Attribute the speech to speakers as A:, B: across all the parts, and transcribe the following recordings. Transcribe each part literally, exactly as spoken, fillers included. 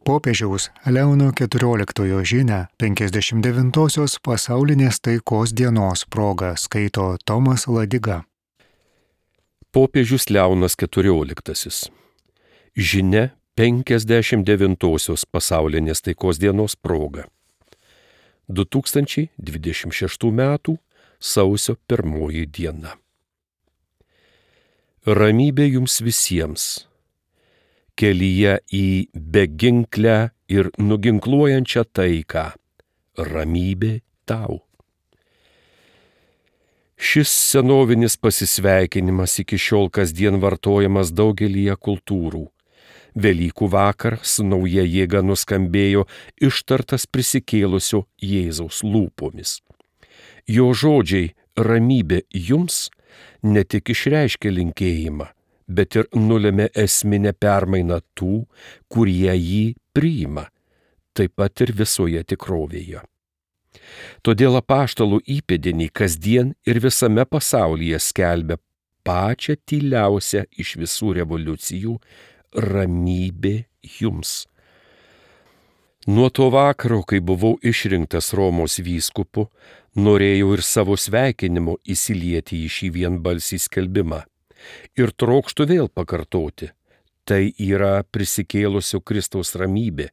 A: Popiežiaus Leono keturioliktojo žinią penkiasdešimt devintosios pasaulinės taikos dienos proga skaito Tomas Ladiga.
B: Popiežius Leonas keturioliktasis. Žinia penkiasdešimt devintosios pasaulinės taikos dienos proga. du tūkstančiai dvidešimt šeštų metų sausio pirmoji diena. Ramybė jums visiems. Kelyje į beginklę ir nuginkluojančią taiką. Ramybė tau. Šis senovinis pasisveikinimas iki šiol kasdien vartojamas daugelyje kultūrų. Velykų vakar su nauja jėga nuskambėjo ištartas prisikėlusio Jėzaus lūpomis. Jo žodžiai ramybė jums ne tik išreiškia linkėjimą, bet ir nulėmė esminę permainą tų, kurie jį priima, taip pat ir visoje tikrovėje. Todėl apaštalų įpėdiniai kasdien ir visame pasaulyje skelbia pačią tyliausią iš visų revoliucijų ramybė jums. Nuo to vakaro, kai buvau išrinktas Romos vyskupu, norėjau ir savo sveikinimu įsilieti į šį vienbalsį skelbimą. Ir trokštu vėl pakartoti, tai yra prisikėlusio Kristaus ramybė,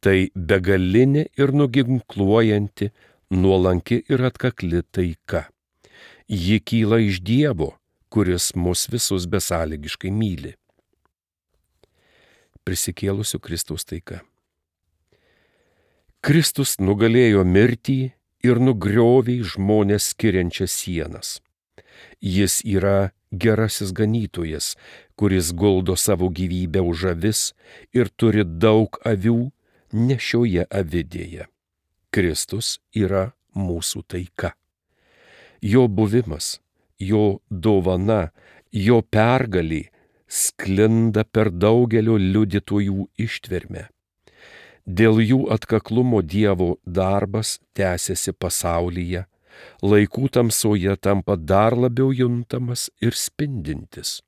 B: tai begalinė ir nuginkluojanti, nuolanki ir atkakli taika. Ji kyla iš Dievo, kuris mus visus besąlygiškai myli. Prisikėlusio Kristaus taika. Kristus nugalėjo mirtį ir nugriovė žmonės skiriančias sienas. Jis yra gerasis ganytojas, kuris guldo savo gyvybę už avis ir turi daug avių nešioje avidėje. Kristus yra mūsų taika. Jo buvimas, jo dovana, jo pergalė sklinda per daugelio liudytojų ištvermę. Dėl jų atkaklumo Dievo darbas tęsiasi pasaulyje, laikų tamsoje tampa dar labiau juntamas ir spindintis.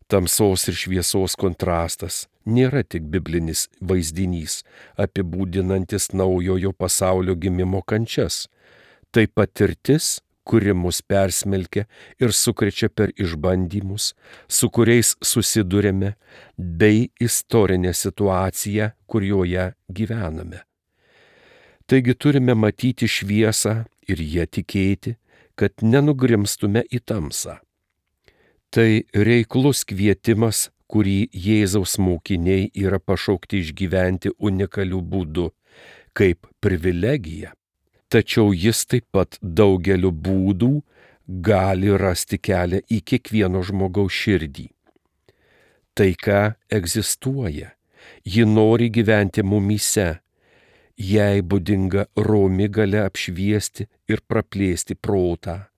B: Tamsos ir šviesos kontrastas nėra tik biblinis vaizdinys, apibūdinantis naujojo pasaulio gimimo kančias. Tai patirtis, kuri mus persmelkia ir sukrečia per išbandymus, su kuriais susidurėme, bei istorinę situaciją, kurioje gyvename. Taigi turime matyti šviesą ir ją tikėti, kad nenugrimstume į tamsą. Tai reiklus kvietimas, kurį Jėzaus mokiniai yra pašaukti išgyventi unikaliu būdu, kaip privilegija. Tačiau jis taip pat daugeliu būdų gali rasti kelią į kiekvieno žmogaus širdį. Taika egzistuoja, ji nori gyventi mumyse. Jai būdinga romi galia apšviesti ir praplėsti protą.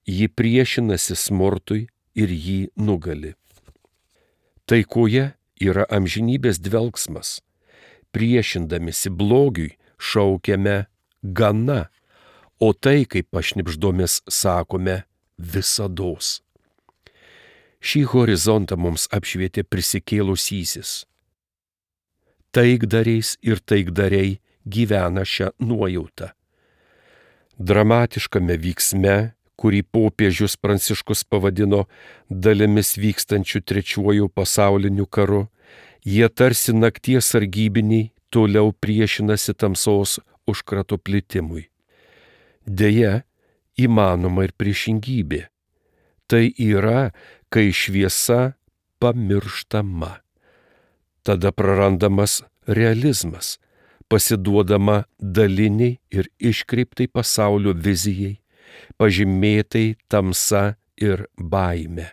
B: Ji priešinasi smurtui ir jį nugali. Taikoje yra amžinybės dvelgsmas. Priešindamisi blogiui šaukiame gana, o tai, kaip pašnibždomis sakome, visados. Šį horizontą mums apšvietė prisikėlusysis. Taikdariais ir taikdariai gyvena šią nuojautą. Dramatiškame vyksme, kurį popiežius Pranciškus pavadino dalimis vykstančių trečiuoju pasauliniu karu, jie tarsi nakties sargybiniai toliau priešinasi tamsos užkrato plitimui. Deja, įmanoma ir priešingybė. Tai yra, kai šviesa pamirštama. Tada prarandamas realizmas, pasiduodama daliniai ir iškreiptai pasaulio vizijai, pažymėtai tamsa ir baime.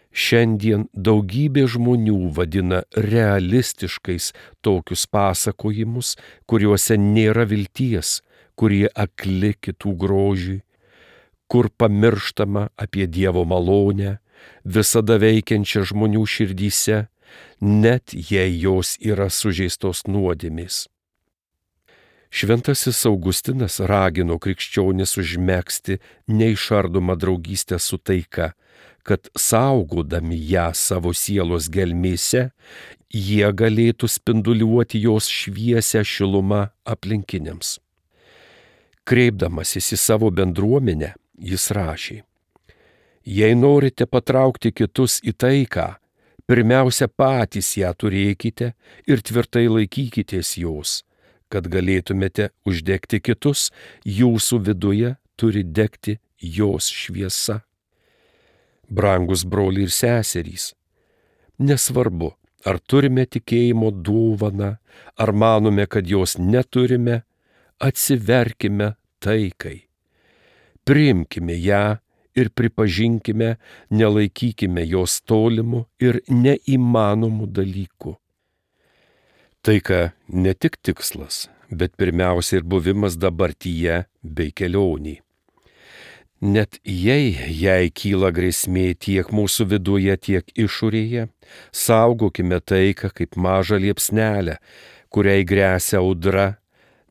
B: Šiandien daugybė žmonių vadina realistiškais tokius pasakojimus, kuriuose nėra vilties, kurie akli kitų grožiui, kur pamirštama apie Dievo malonę, visada veikiančią žmonių širdyse, net jei jos yra sužeistos nuodėmės. Šventasis Augustinas ragino krikščionis užmegzti neišardomą draugystę su taika, kad saugodami ją savo sielos gelmėse, jie galėtų spinduliuoti jos šviesią šilumą aplinkiniams. Kreipdamasis į savo bendruomenę, jis rašė: Jei norite patraukti kitus į taiką, pirmiausia patys ją turėkite ir tvirtai laikykitės jos, kad galėtumėte uždegti kitus, jūsų viduje turi degti jos šviesa. Brangus broliai ir seserys, nesvarbu, ar turime tikėjimo dovaną, ar manome, kad jos neturime, atsiverkime taikai. Priimkime ją ir pripažinkime, nelaikykime jos tolimų ir neįmanomų dalykų. Taika ne tik tikslas, bet pirmiausia ir buvimas dabartyje bei kelionį. Net jei jai kyla grėsmė tiek mūsų viduje, tiek išorėje, saugokime taiką kaip mažą liepsnelę, kuriai gresia audra,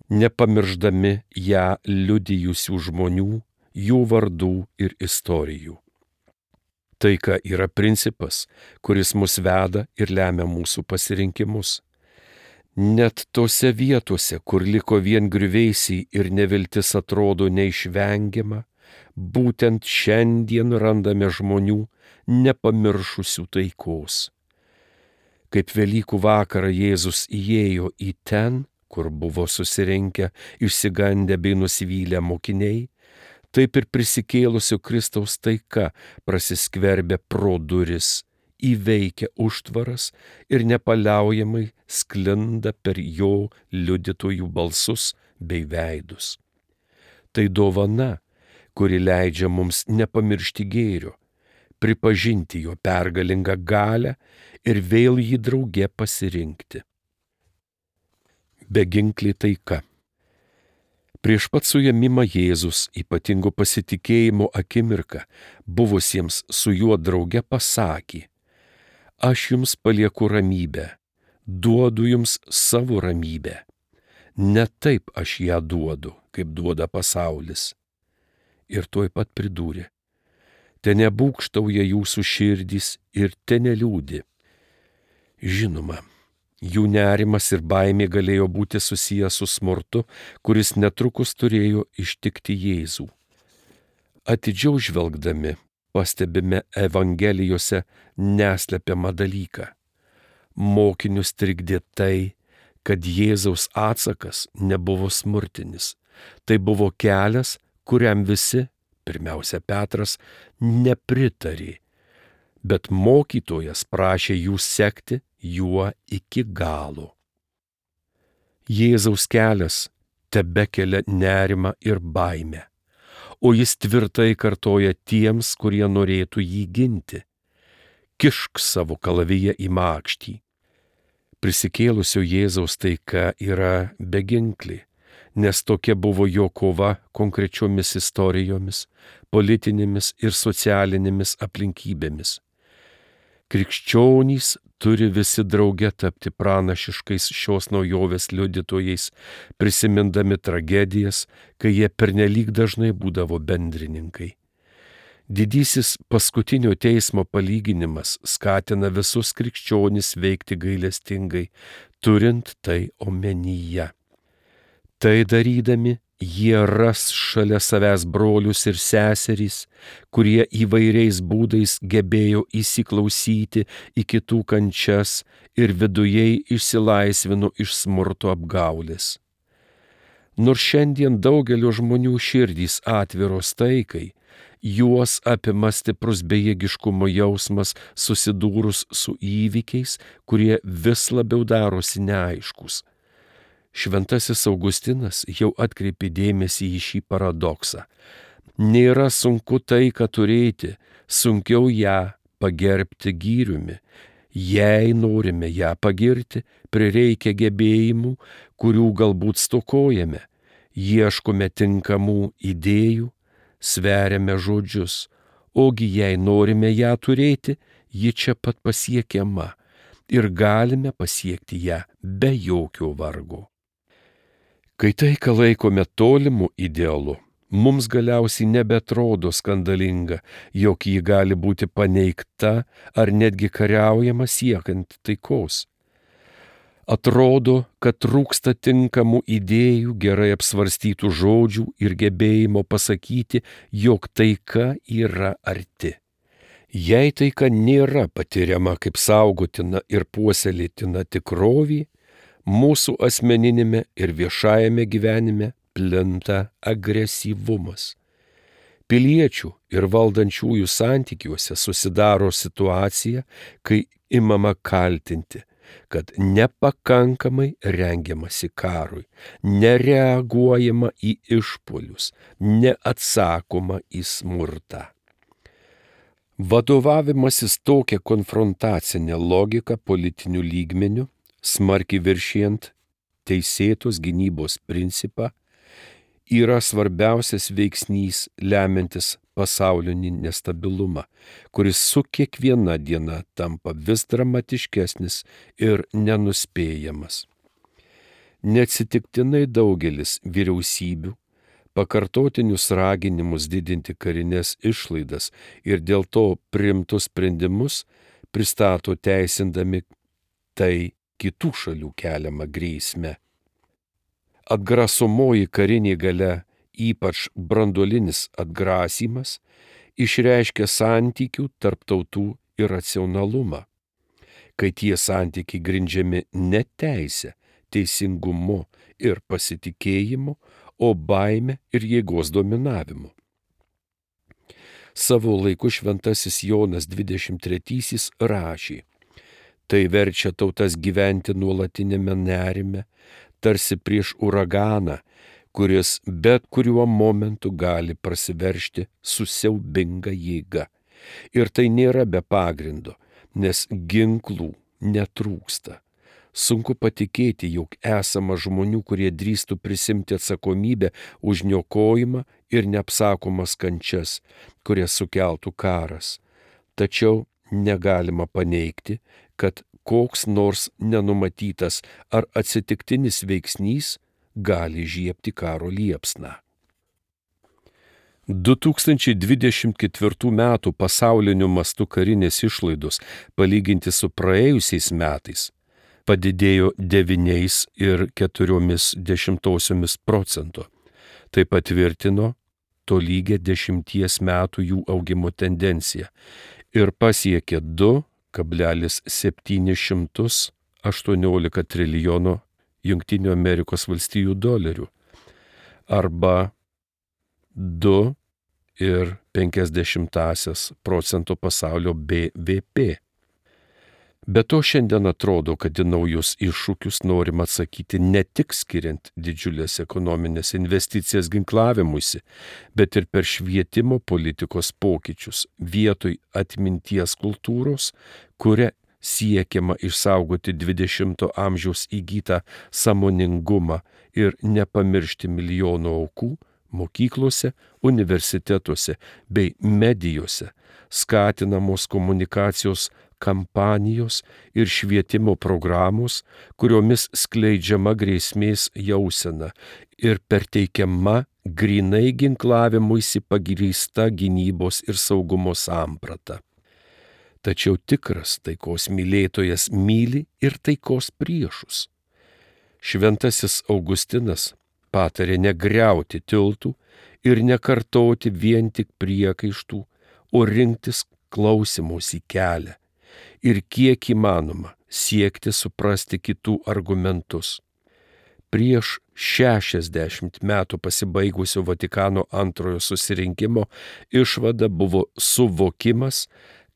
B: nepamirždami ją liudijusių žmonių, jų vardų ir istorijų. Taika yra principas, kuris mus veda ir lemia mūsų pasirinkimus. Net tose vietose, kur liko vien griuvėsiai ir neviltis atrodo neišvengiama, būtent šiandien randame žmonių nepamiršusių taikos. Kaip Velykų vakarą Jėzus įėjo į ten, kur buvo susirinkę išsigandę bei nusivylę mokiniai, taip ir prisikėlusio Kristaus taika prasiskverbia pro duris, įveikia užtvaras ir nepaliaujamai sklinda per jo liudytojų balsus bei veidus. Tai dovana, kuri leidžia mums nepamiršti gėrio, pripažinti jo pergalingą galią ir vėl jį drauge pasirinkti. Beginklė taika. Prieš pat suėmimą Jėzus ypatingo pasitikėjimo akimirką buvusiems su juo drauge pasakė: Aš jums palieku ramybę, duodu jums savo ramybę. Ne taip aš ją duodu, kaip duoda pasaulis. Ir tuoj pat pridūrė: Te nebūkštauja jūsų širdys ir te neliūdi. Žinoma, jų nerimas ir baimė galėjo būti susijęs su smurtu, kuris netrukus turėjo ištikti Jėzų. Atidžiau žvelgdami, pastebime Evangelijose neslepiamą dalyką. Mokinius trikdė tai, kad Jėzaus atsakas nebuvo smurtinis. Tai buvo kelias, kuriam visi, pirmiausia Petras, nepritarė, bet mokytojas prašė jų sekti juo iki galo. Jėzaus kelias tebekelia nerimą ir baimę, o jis tvirtai kartoja tiems, kurie norėtų jį ginti: Kišk savo kalaviją į makštį. Prisikėlusio Jėzaus taika yra beginklė, nes tokia buvo jo kova konkrečiomis istorijomis, politinėmis ir socialinėmis aplinkybėmis. Krikščionys turi visi drauge tapti pranašiškais šios naujovės liudytojais, prisimindami tragedijas, kai jie pernelyg dažnai būdavo bendrininkai. Didysis paskutinio teismo palyginimas skatina visus krikščionis veikti gailestingai, turint tai omenyje. Tai darydami, jie ras šalia savęs brolius ir seserys, kurie įvairiais būdais gebėjo įsiklausyti į kitų kančias ir vidujei išsilaisvino iš smurto apgaulės. Nors šiandien daugelio žmonių širdys atviros taikai, juos apima stiprus bejėgiškumo jausmas susidūrus su įvykiais, kurie vis labiau darosi neaiškus. Šventasis Augustinas jau atkreipė dėmesį į šį paradoksą. Nėra sunku taiką turėti, sunkiau ją pagerbti gyriumi. Jei norime ją pagirti, prireikia gebėjimų, kurių galbūt stokojame. Ieškome tinkamų idėjų, sveriame žodžius, ogi jei norime ją turėti, ji čia pat pasiekiama ir galime pasiekti ją be jokio vargo. Kai taiką laikome tolimu idealu, mums galiausiai nebeatrodo skandalinga, jog ji gali būti paneigta ar netgi kariaujama siekiant taikos. Atrodo, kad trūksta tinkamų idėjų, gerai apsvarstytų žodžių ir gebėjimo pasakyti, jog taika yra arti. Jei taika nėra patiriama kaip saugotina ir puoselėtina tikrovė, mūsų asmeninėme ir viešajame gyvenime plinta agresyvumas. Piliečių ir valdančiųjų santykiuose susidaro situacija, kai imama kaltinti, kad nepakankamai rengiamasi karui, nereaguojama į išpuolius, neatsakoma į smurtą. Vadovavimasis tokia konfrontacinė logika politiniu lygmeniu, smarkiai viršijant teisėtos gynybos principą, yra svarbiausias veiksnys lemiantis pasaulinį nestabilumą, kuris su kiekviena diena tampa vis dramatiškesnis ir nenuspėjamas. Neatsitiktinai daugelis vyriausybių pakartotinius raginimus didinti karinės išlaidas ir dėl to priimtus sprendimus pristato teisindami tai kitų šalių keliamą grėsmę. Atgrasomoji karinė galia, ypač branduolinis atgrasymas, išreiškia santykių tarp tautų iracionalumą, kai tie santykiai grindžiami ne teise, teisingumu ir pasitikėjimu, o baime ir jėgos dominavimu. Savo laiku šventasis Jonas dvidešimt trečiasis rašė: tai verčia tautas gyventi nuolatinėme nerime, tarsi prieš uraganą, kuris bet kuriuo momentu gali prasiveržti su siaubinga jėga. Ir tai nėra be pagrindo, nes ginklų netrūksta. Sunku patikėti, jog esama žmonių, kurie drįstų prisimti atsakomybę už niokojimą ir neapsakomas kančias, kurias sukeltų karas. Tačiau negalima paneigti, kad koks nors nenumatytas ar atsitiktinis veiksnys gali žiebti karo liepsną. du tūkstančiai dvidešimt ketvirtų metų pasauliniu mastu karinės išlaidos palyginti su praėjusiais metais padidėjo devyniais ir keturiomis dešimtosiomis procento. Tai patvirtino tolygią dešimties metų jų augimo tendenciją ir pasiekė du kablelis septyni šimtus aštuoniolika trilijono Jungtinių Amerikos valstijų dolerių arba du ir penkias dešimtąsias procento pasaulio B V P. Be to šiandien atrodo, kad į naujus iššūkius norima atsakyti ne tik skiriant didžiulės ekonominės investicijas ginklavimuisi, bet ir per švietimo politikos pokyčius vietoj atminties kultūros, kuria siekiama išsaugoti dvidešimto amžiaus įgytą sąmoningumą ir nepamiršti milijonų aukų mokyklose, universitetuose bei medijose, skatinamos komunikacijos kampanijos ir švietimo programos, kuriomis skleidžiama grėsmės jausena ir perteikiama grynai ginklavimuisi pagrįsta gynybos ir saugumo samprata. Tačiau tikras taikos mylėtojas myli ir taikos priešus. Šventasis Augustinas patarė negriauti tiltų ir nekartoti vien tik priekaištų, o rinktis klausymosi kelią ir kiek įmanoma siekti suprasti kitų argumentus. Prieš šešiasdešimt metų pasibaigusio Vatikano antrojo susirinkimo išvada buvo suvokimas,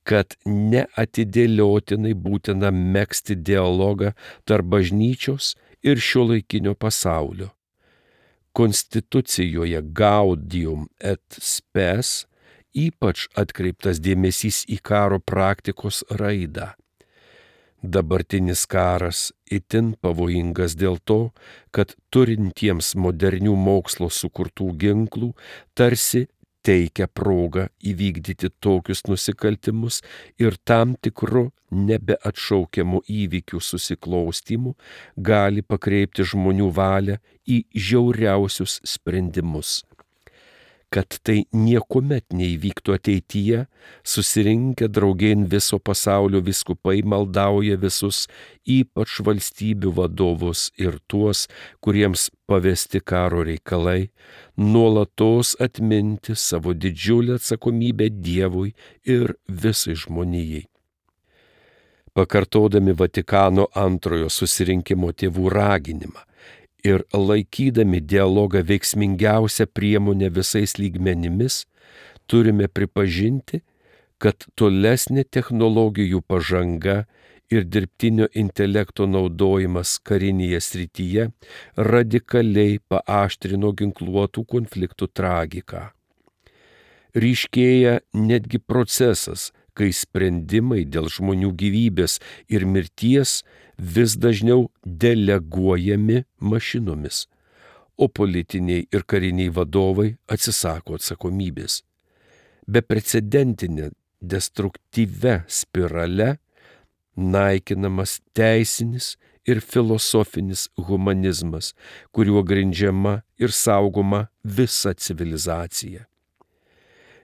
B: kad neatidėliotinai būtina megzti dialogą tarp bažnyčios ir šiuolaikinio pasaulio. Konstitucijoje Gaudium et Spes ypač atkreiptas dėmesys į karo praktikos raidą. Dabartinis karas itin pavojingas dėl to, kad turintiems modernių mokslo sukurtų ginklų tarsi teikia progą įvykdyti tokius nusikaltimus ir tam tikru nebeatšaukiamų įvykių susiklostymų gali pakreipti žmonių valią į žiauriausius sprendimus. kad tai niekuomet neįvyktų ateityje, susirinkę draugėn viso pasaulio vyskupai maldauja visus, ypač valstybių vadovus ir tuos, kuriems pavesti karo reikalai, nuolatos atminti savo didžiulę atsakomybę Dievui ir visai žmonijai. Pakartodami Vatikano antrojo susirinkimo tėvų raginimą ir laikydami dialogą veiksmingiausią priemonę visais lygmenimis, turime pripažinti, kad tolesnė technologijų pažanga ir dirbtinio intelekto naudojimas karinėje srityje radikaliai paaštrino ginkluotų konfliktų tragiką. Ryškėja netgi procesas, kai sprendimai dėl žmonių gyvybės ir mirties vis dažniau deleguojami mašinomis, o politiniai ir kariniai vadovai atsisako atsakomybės. Beprecedentinė destruktyvia spirale naikinamas teisinis ir filosofinis humanizmas, kuriuo grindžiama ir saugoma visa civilizacija.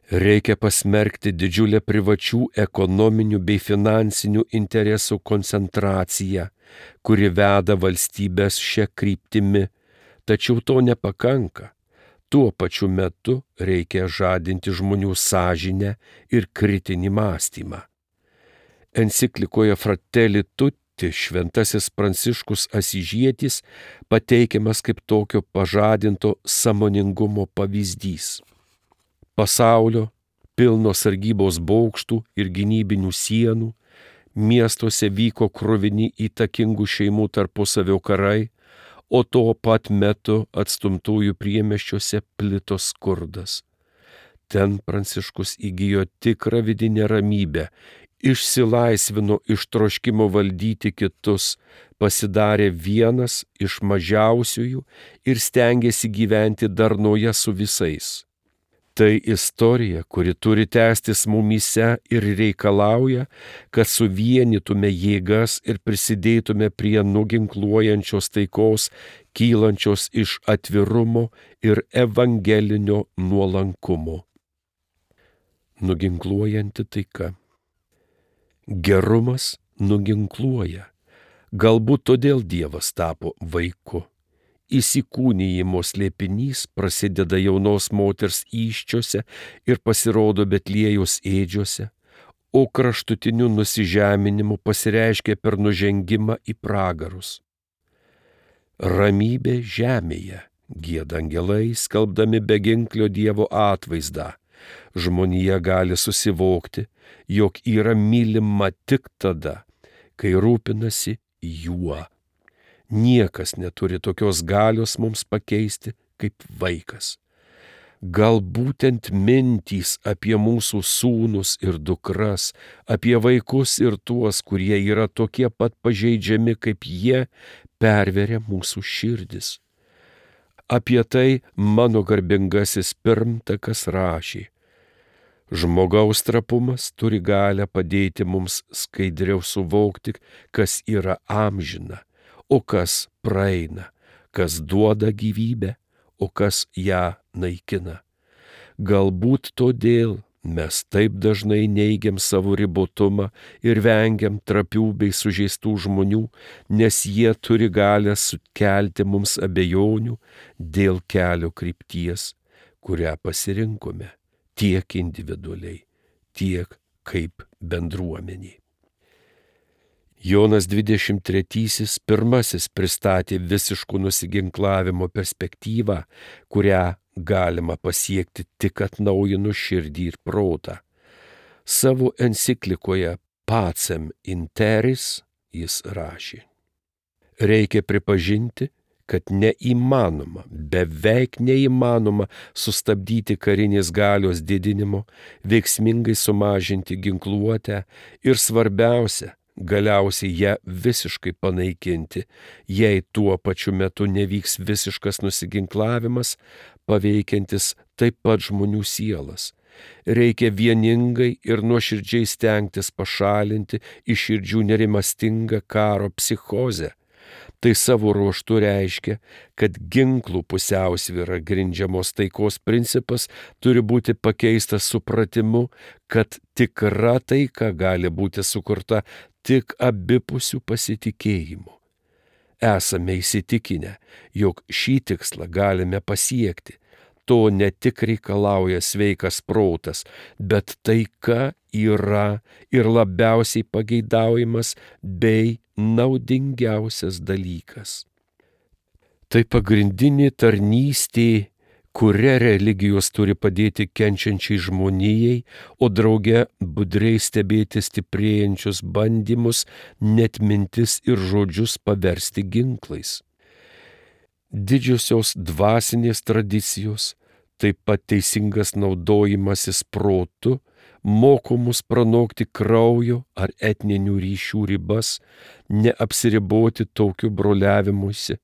B: Reikia pasmerkti didžiulę privačių ekonominių bei finansinių interesų koncentraciją, kuri veda valstybės šia kryptimi, tačiau to nepakanka. Tuo pačiu metu reikia žadinti žmonių sąžinę ir kritinį mąstymą. Enciklikoje Fratelli Tutti šventasis Pranciškus Asyžietis pateikiamas kaip tokio pažadinto sąmoningumo pavyzdys. Pasaulio, pilno sargybos bokštų ir gynybinių sienų, miestuose vyko kruvini įtakingų šeimų tarpusavio karai, o tuo pat metu atstumtųjų priemiesčiuose plito skurdas. Ten Pranciškus įgijo tikrą vidinę ramybę, išsilaisvino iš troškimo valdyti kitus, pasidarė vienas iš mažiausiųjų ir stengėsi gyventi darnoje su visais. Tai istorija, kuri turi tęstis mumyse ir reikalauja, kad suvienytume jėgas ir prisidėtume prie nuginkluojančios taikos, kylančios iš atvirumo ir evangelinio nuolankumo. Nuginkluojanti taika. Gerumas nuginkluoja. Galbūt todėl Dievas tapo vaiku. Įsikūnijimo slėpinys prasideda jaunos moters įsčiose ir pasirodo Betliejaus ėdžiose, o kraštutiniu nusižeminimu pasireiškia per nužengimą į pragarus. Ramybė žemėje, gieda angelai, skelbdami beginklio Dievo atvaizdą. Žmonija gali susivokti, jog yra mylima tik tada, kai rūpinasi juo. Niekas neturi tokios galios mums pakeisti kaip vaikas. Gal būtent mintys apie mūsų sūnus ir dukras, apie vaikus ir tuos, kurie yra tokie pat pažeidžiami kaip jie, perveria mūsų širdis. Apie tai mano garbingasis pirmtakas rašė. Žmogaus trapumas turi galią padėti mums skaidriau suvokti, kas yra amžina, o kas praeina, kas duoda gyvybę, o kas ją naikina. Galbūt todėl mes taip dažnai neigiam savo ribotumą ir vengiam trapių bei sužeistų žmonių, nes jie turi galią sukelti mums abejonių dėl kelio krypties, kurią pasirinkome tiek individualiai, tiek kaip bendruomeniai. Jonas dvidešimt trečiasis pirmasis pristatė visiškų nusiginklavimo perspektyvą, kurią galima pasiekti tik atnaujinus širdį ir protą. Savo enciklikoje Pacem in Terris jis rašė. Reikia pripažinti, kad neįmanoma, beveik neįmanoma sustabdyti karinės galios didinimo, veiksmingai sumažinti ginkluotę ir svarbiausia, galiausiai ją visiškai panaikinti, jei tuo pačiu metu nevyks visiškas nusiginklavimas, paveikiantis taip pat žmonių sielas. Reikia vieningai ir nuoširdžiai stengtis pašalinti iš širdžių nerimastingą karo psichozę. Tai savo ruožtu reiškia, kad ginklų pusiausvyra grindžiamos taikos principas turi būti pakeistas supratimu, kad tikra taika gali būti sukurta tik abipusių pasitikėjimų. Esame įsitikinę, jog šį tikslą galime pasiekti. To ne tik reikalauja sveikas protas, bet taika yra ir labiausiai pageidaujamas bei naudingiausias dalykas. Tai pagrindinė tarnystė, kuria religijos turi padėti kenčiančiai žmonijai, o drauge budriai stebėti stiprėjančius bandymus net mintis ir žodžius paversti ginklais. Didžiosios dvasinės tradicijos, taip pat teisingas naudojimasis protu, moko mus pranokti kraujo ar etninių ryšių ribas, neapsiriboti tokiu broliavimuisi,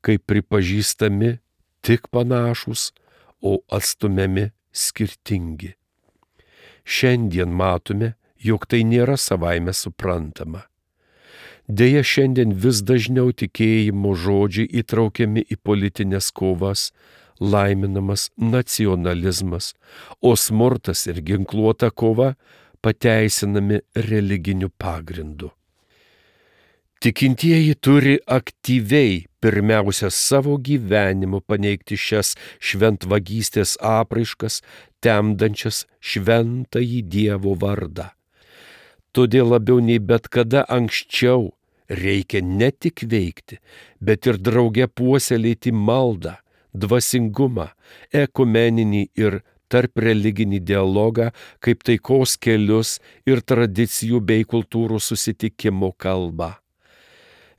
B: kai pripažįstami tik panašus, o atstumiami skirtingi. Šiandien matome, jog tai nėra savaime suprantama. Deja, šiandien vis dažniau tikėjimo žodžiai įtraukiami į politinės kovas, laiminamas nacionalizmas, o smurtas ir ginkluota kova pateisinami religiniu pagrindu. Tikintieji turi aktyviai pirmiausia savo gyvenimu paneigti šias šventvagystės apraiškas, temdančias šventąjį Dievo vardą. Todėl labiau nei bet kada anksčiau reikia ne tik veikti, bet ir drauge puoselėti maldą, dvasingumą, ekumeninį ir tarp religinį dialogą kaip taikos kelius ir tradicijų bei kultūrų susitikimo kalbą.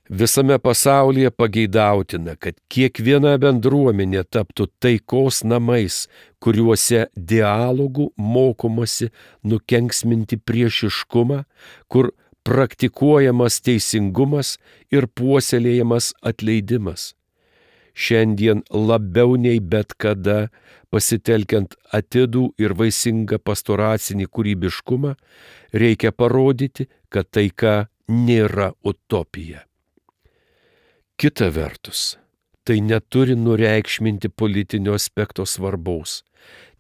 B: Visame pasaulyje pageidautina, kad kiekviena bendruomenė taptų taikos namais, kuriuose dialogų mokomasi nukenksminti priešiškumą, kur praktikuojamas teisingumas ir puoselėjamas atleidimas. Šiandien labiau nei bet kada, pasitelkiant atidų ir vaisingą pastoracinį kūrybiškumą, reikia parodyti, kad taika nėra utopija. Kita vertus, tai neturi nureikšminti politinio aspekto svarbaus.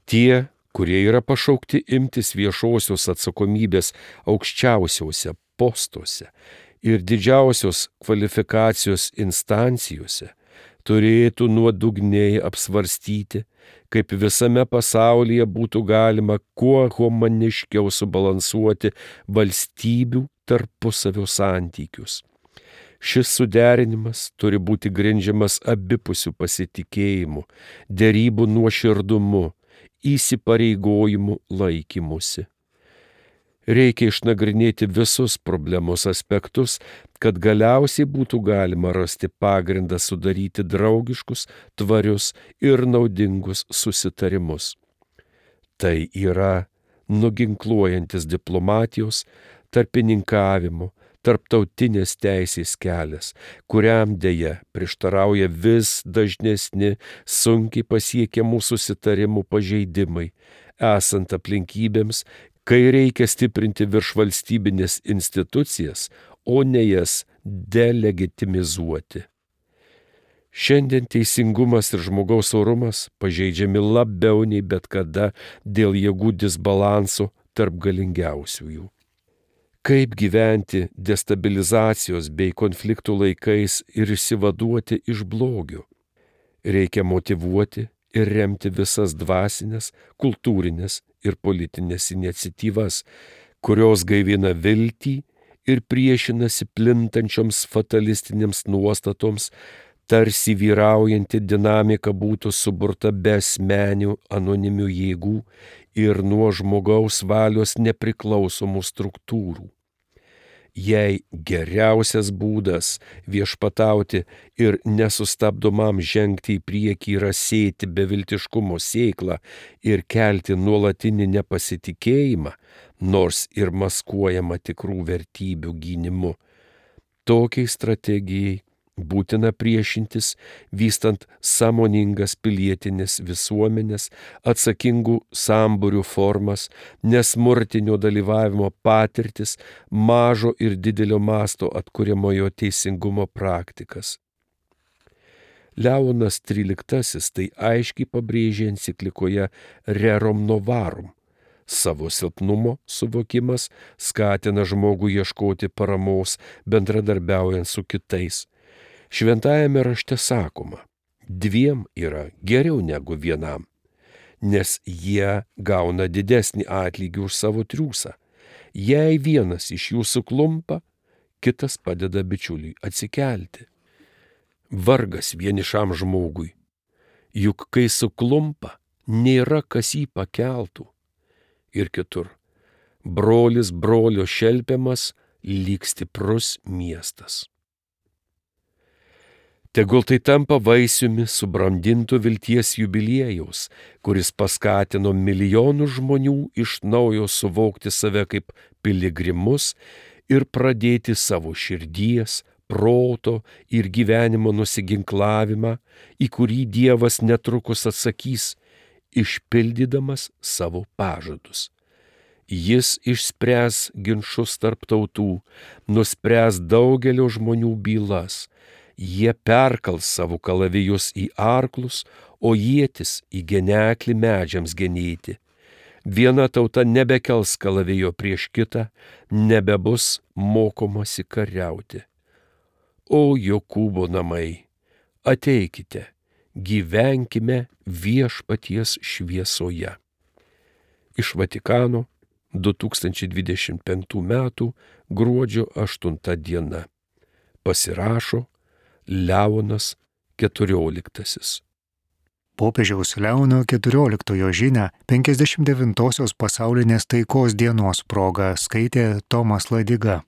B: Tie, kurie yra pašaukti imtis viešosios atsakomybės aukščiausiuose postuose ir didžiausios kvalifikacijos instancijose, turėtų nuodugniai apsvarstyti, kaip visame pasaulyje būtų galima kuo humaniškiau subalansuoti valstybių tarpusavio santykius. Šis suderinimas turi būti grindžiamas abipusių pasitikėjimų, derybų nuoširdumu, įsipareigojimų laikymusi. Reikia išnagrinėti visus problemos aspektus, kad galiausiai būtų galima rasti pagrindą sudaryti draugiškus, tvarius ir naudingus susitarimus. Tai yra nuginkluojantis diplomatijos, tarpininkavimo, tarptautinės teisės kelias, kuriam deja prieštarauja vis dažnesni sunkiai pasiekiamų susitarimų pažeidimai, esant aplinkybėms, kai reikia stiprinti viršvalstybinės institucijas, o ne jas delegitimizuoti. Šiandien teisingumas ir žmogaus orumas pažeidžiami labiau nei bet kada dėl jėgų disbalanso tarp galingiausiųjų. Kaip gyventi destabilizacijos bei konfliktų laikais ir išsivaduoti iš blogio? Reikia motyvuoti ir remti visas dvasinės, kultūrinės ir politinės iniciatyvas, kurios gaivina viltį ir priešinasi plintančioms fatalistinėms nuostatoms, tarsi vyraujanti dinamika būtų suburta be asmenių anonimių jėgų ir nuo žmogaus valios nepriklausomų struktūrų. Jei geriausias būdas viešpatauti ir nesustabdomam žengti į priekį yra sėti beviltiškumo sėklą ir kelti nuolatinį nepasitikėjimą, nors ir maskuojama tikrų vertybių gynimu, tokiai strategijai Būtina priešintis, vystant sąmoningas pilietinės visuomenės, atsakingų sambūrių formas, nesmurtinio dalyvavimo patirtis, mažo ir didelio masto atkuriamojo teisingumo praktikas. Leonas tryliktasis tai aiškiai pabrėžė enciklikoje Rerum Novarum. Savo silpnumo suvokimas skatina žmogų ieškoti paramos bendradarbiaujant su kitais. Šventajame rašte sakoma, dviem yra geriau negu vienam, nes jie gauna didesnį atlygį už savo triūsą. Jei vienas iš jų suklumpa, kitas padeda bičiuliui atsikelti. Vargas vienišam žmogui, juk kai suklumpa, nėra kas jį pakeltų. Ir kitur, brolis brolio šelpiamas lyg stiprus miestas. Tegul tai tampa vaisiumi subrandinto vilties jubiliejaus, kuris paskatino milijonų žmonių iš naujo suvokti save kaip piligrimus ir pradėti savo širdies, proto ir gyvenimo nusiginklavimą, į kurį Dievas netrukus atsakys, išpildydamas savo pažadus. Jis išspręs ginčus tarp tautų, nuspręs daugelio žmonių bylas. Jie perkals savo kalavijus į arklus, o ietis į geneklį medžiams genėti. Viena tauta nebekels kalavijo prieš kitą, nebebus mokomasi kariauti. O Jokūbo namai, ateikite, gyvenkime viešpaties šviesoje. Iš Vatikano du tūkstančiai dvidešimt penktų metų gruodžio aštunta diena. Pasirašo Leonas keturioliktasis.
A: Popiežiaus Leono keturioliktojo žinią penkiasdešimt devintosios pasaulinės taikos dienos proga skaitė Tomas Ladiga.